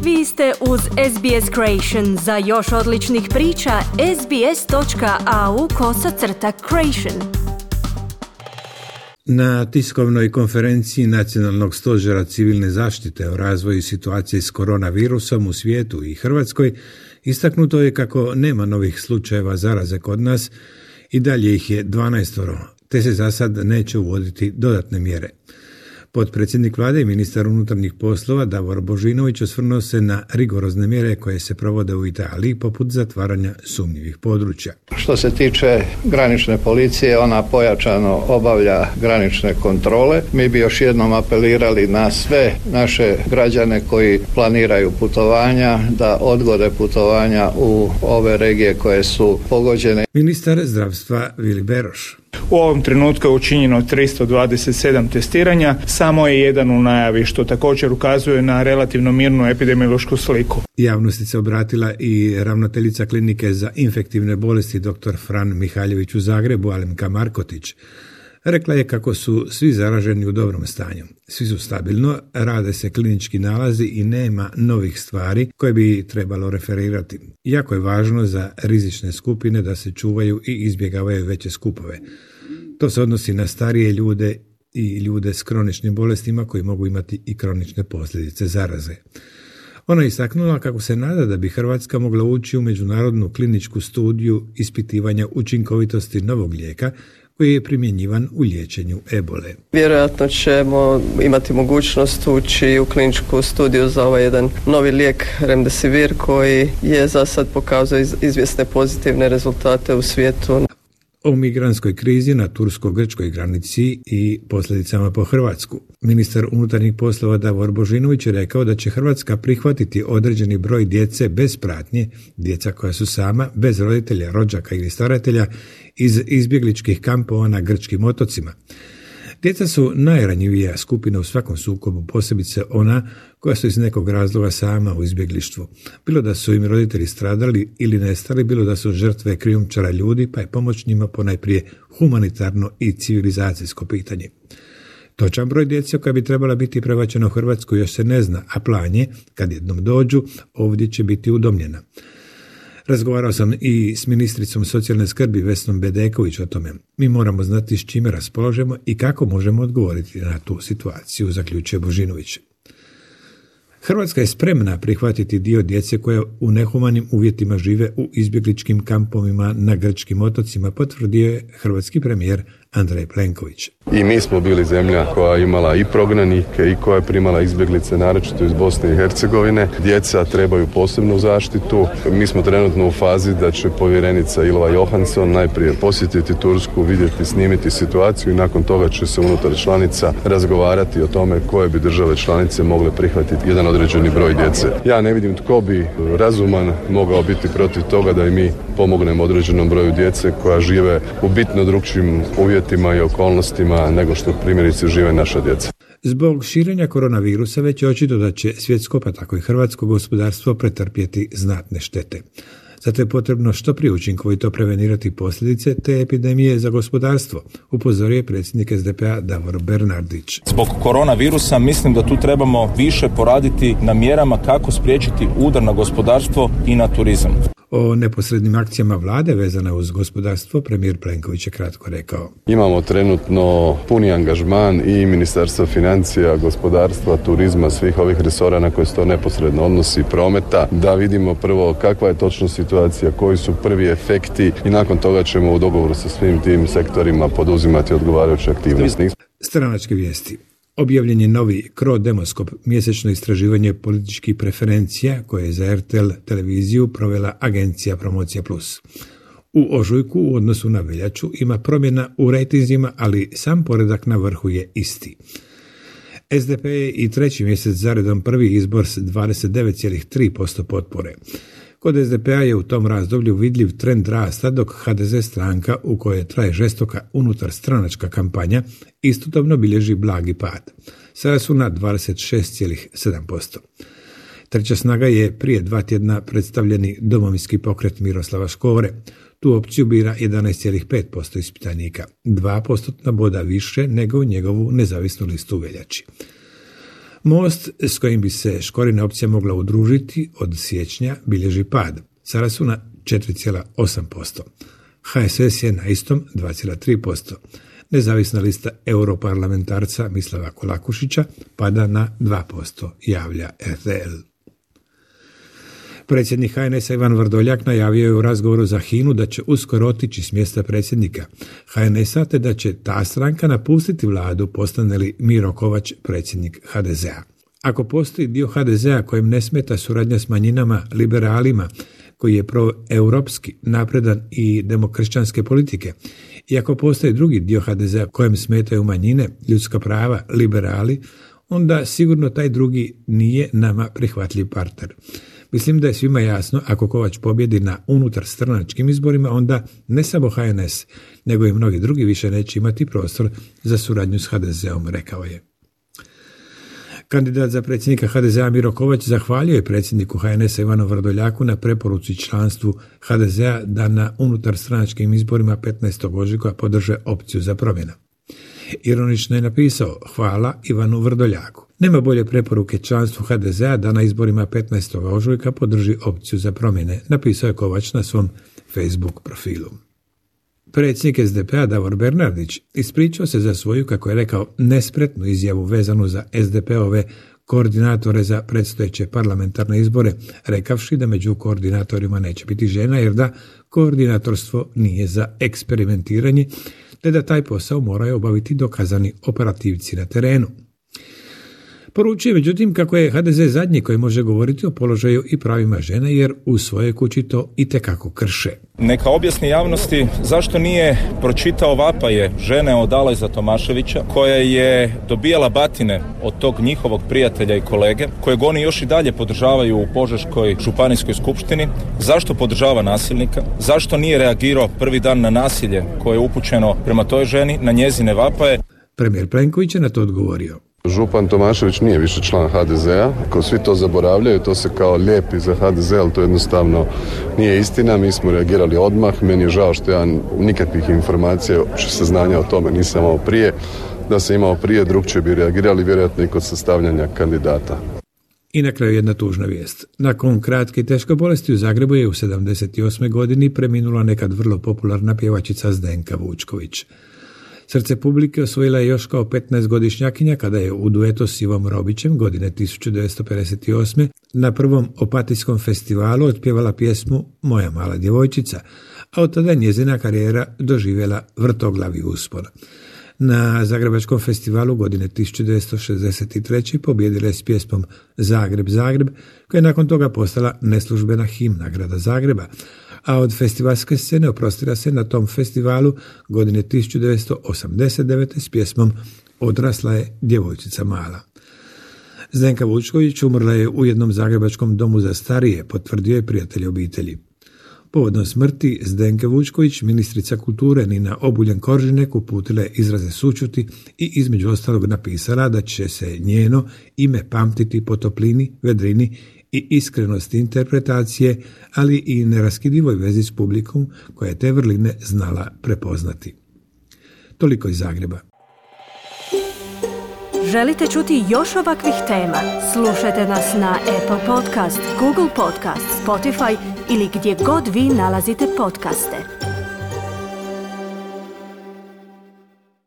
Vi ste uz SBS Creation. Za još odličnih priča, sbs.au/creation. Na tiskovnoj konferenciji Nacionalnog stožera civilne zaštite o razvoju situacije s koronavirusom u svijetu i Hrvatskoj istaknuto je kako nema novih slučajeva zaraze kod nas i dalje ih je 12, te se za sad neće uvoditi dodatne mjere. Potpredsjednik vlade i ministar unutarnjih poslova Davor Božinović osvrnuo se na rigorozne mjere koje se provode u Italiji poput zatvaranja sumnjivih područja. Što se tiče granične policije, ona pojačano obavlja granične kontrole. Mi bi još jednom apelirali na sve naše građane koji planiraju putovanja da odgode putovanja u ove regije koje su pogođene. Ministar zdravstva Vili Beroš. U ovom trenutku je učinjeno 327 testiranja, samo je jedan u najavi, što također ukazuje na relativno mirnu epidemiološku sliku. Javnosti se obratila i ravnateljica klinike za infektivne bolesti dr. Fran Mihaljević u Zagrebu, Alemka Markotić. Rekla je kako su svi zaraženi u dobrom stanju. Svi su stabilno, rade se klinički nalazi i nema novih stvari koje bi trebalo referirati. Jako je važno za rizične skupine da se čuvaju i izbjegavaju veće skupove. To se odnosi na starije ljude i ljude s kroničnim bolestima koji mogu imati i kronične posljedice zaraze. Ona je istaknula kako se nada da bi Hrvatska mogla ući u međunarodnu kliničku studiju ispitivanja učinkovitosti novog lijeka koji je primjenjivan u liječenju ebole. Vjerojatno ćemo imati mogućnost ući u kliničku studiju za ovaj jedan novi lijek Remdesivir koji je za sad pokazao izvjesne pozitivne rezultate u svijetu. O migrantskoj krizi na tursko-grčkoj granici i posljedicama po Hrvatsku. Ministar unutarnjih poslova Davor Božinović je rekao da će Hrvatska prihvatiti određeni broj djece bez pratnje, djeca koja su sama, bez roditelja, rođaka ili staratelja, iz izbjegličkih kampova na grčkim otocima. Djeca su najranjivija skupina u svakom sukobu, posebice ona koja su iz nekog razloga sama u izbjeglištvu. Bilo da su im roditelji stradali ili nestali, bilo da su žrtve krijumčara ljudi, pa je pomoć njima ponajprije humanitarno i civilizacijsko pitanje. Točan broj djece koja bi trebala biti prebačena u Hrvatsku još se ne zna, a plan je, kad jednom dođu, ovdje će biti udomljena. Razgovarao sam i s ministricom socijalne skrbi Vesnom Bedeković o tome. Mi moramo znati s čime raspolažemo i kako možemo odgovoriti na tu situaciju, zaključuje Božinović. Hrvatska je spremna prihvatiti dio djece koja u nehumanim uvjetima žive u izbjegličkim kampovima na grčkim otocima, potvrdio je hrvatski premijer Andrej Plenković. I mi smo bili zemlja koja je imala i prognanike i koja je primala izbjeglice, naročito iz Bosne i Hercegovine. Djeca trebaju posebnu zaštitu. Mi smo trenutno u fazi da će povjerenica Ylva Johansson najprije posjetiti Tursku, vidjeti, snimiti situaciju i nakon toga će se unutar članica razgovarati o tome koje bi države članice mogle prihvatiti jedan određeni broj djece. Ja ne vidim tko bi razuman mogao biti protiv toga da i mi pomognemo određenom broju djece koja žive u bitno drugčijim uvjetima i okolnostima nego što primjerice žive naša djeca. Zbog širenja koronavirusa već je očito da će svjetsko pa tako i hrvatsko gospodarstvo pretrpjeti znatne štete. Zato je potrebno što prije učinkovito prevenirati posljedice te epidemije za gospodarstvo, upozorio je predsjednik SDP-a Davor Bernardić. Zbog koronavirusa mislim da tu trebamo više poraditi na mjerama kako spriječiti udar na gospodarstvo i na turizam. O neposrednim akcijama vlade vezane uz gospodarstvo premijer Plenković je kratko rekao. Imamo trenutno puni angažman i Ministarstva financija, gospodarstva, turizma, svih ovih resora na koje se to neposredno odnosi, prometa, da vidimo prvo kakva je točno situacija, koji su prvi efekti i nakon toga ćemo u dogovoru sa svim tim sektorima poduzimati odgovarajuće aktivnosti. Stranačke vijesti. Objavljen je novi Cro-Demoskop, mjesečno istraživanje političkih preferencija koje je za RTL televiziju provela agencija Promocija Plus. U ožujku u odnosu na veljaču ima promjena u rejtinzima, ali sam poredak na vrhu je isti. SDP je i treći mjesec zaredom prvi izbor s 29,3% potpore. Kod SDP-a je u tom razdoblju vidljiv trend rasta, dok HDZ stranka u kojoj traje žestoka unutar stranačka kampanja istodobno bilježi blagi pad. Sada su na 26,7%. Treća snaga je prije 2 tjedna predstavljeni Domovinski pokret Miroslava Škore. Tu opciju bira 11,5% ispitanika, 2% boda više nego u njegovu nezavisnu listu u veljači. Most s kojim bi se Škorina opcija mogla udružiti od siječnja bilježi pad. Sada su na 4,8%. HSS je na istom 2,3%. Nezavisna lista europarlamentarca Mislava Kolakušića pada na 2%, javlja RTL. Predsjednik HNS-a Ivan Vrdoljak najavio je u razgovoru za HINA-u da će uskoro otići s mjesta predsjednika HNS-a te da će ta stranka napustiti vladu postane li Miro Kovač predsjednik HDZ-a. Ako postoji dio HDZ-a kojem ne smeta suradnja s manjinama, liberalima, koji je proeuropski, napredan i demokršćanske politike, i ako postoji drugi dio HDZ-a kojem smetaju manjine, ljudska prava, liberali, onda sigurno taj drugi nije nama prihvatljiv partner. Mislim da je svima jasno, ako Kovač pobjedi na unutarstranačkim izborima, onda ne samo HNS, nego i mnogi drugi više neće imati prostor za suradnju s HDZ-om, rekao je. Kandidat za predsjednika HDZ-a Miro Kovač zahvalio je predsjedniku HNS-a Ivanu Vrdoljaku na preporuci članstvu HDZ-a da na unutarstranačkim izborima 15. ožujka podrže opciju za promjenu. Ironično je napisao: hvala Ivanu Vrdoljaku. Nema bolje preporuke članstvu HDZ-a da na izborima 15. ožujka podrži opciju za promjene, napisao je Kovač na svom Facebook profilu. Predsjednik SDP-a Davor Bernardić ispričao se za svoju, kako je rekao, nespretnu izjavu vezanu za SDP-ove koordinatore za predstojeće parlamentarne izbore, rekavši da među koordinatorima neće biti žena jer da koordinatorstvo nije za eksperimentiranje, te da taj posao moraju obaviti dokazani operativci na terenu. Poručuje međutim kako je HDZ zadnji koji može govoriti o položaju i pravima žena jer u svojoj kući to itekako krše. Neka objasni javnosti zašto nije pročitao vapaje žene od Alojza Tomaševića koja je dobijala batine od tog njihovog prijatelja i kolege kojeg oni još i dalje podržavaju u Požeškoj županijskoj skupštini. Zašto podržava nasilnika? Zašto nije reagirao prvi dan na nasilje koje je upućeno prema toj ženi, na njezine vapaje? Premijer Plenković je na to odgovorio. Župan Tomašević nije više član HDZ-a, ako svi to zaboravljaju, to se kao lijepi za HDZ, ali to jednostavno nije istina. Mi smo reagirali odmah, meni je žao što ja nikakvih informacija, uopće saznanja o tome nisam imao prije. Da sam imao prije, drugčije bi reagirali, vjerojatno i kod sastavljanja kandidata. I na kraju jedna tužna vijest. Nakon kratke i teške bolesti u Zagrebu je u 78. godini preminula nekad vrlo popularna pjevačica Zdenka Vučković. Srce publike osvojila je još kao 15-godišnjakinja kada je u duetu s Ivom Robićem godine 1958. na prvom Opatijskom festivalu otpjevala pjesmu Moja mala djevojčica, a od tada njezina karijera doživjela vrtoglavi uspon. Na Zagrebačkom festivalu godine 1963. pobjedila je s pjesmom Zagreb, Zagreb, koja je nakon toga postala neslužbena himna grada Zagreba, a od festivalske scene oprostila se na tom festivalu godine 1989. s pjesmom Odrasla je djevojčica mala. Zdenka Vučković umrla je u jednom zagrebačkom domu za starije, potvrdio je prijatelj obitelji. Povodom smrti Zdenke Vučković, ministrica kulture Nina Obuljen-Koržinek uputila je izraze sućuti i između ostalog napisala da će se njeno ime pamtiti po toplini, vedrini i iskrenosti interpretacije, ali i neraskidivoj vezi s publikom koja je te vrline znala prepoznati. Toliko iz Zagreba. Želite čuti još ovakvih tema? Slušajte nas na Apple Podcast, Google Podcast, Spotify ili gdje god vi nalazite podcaste.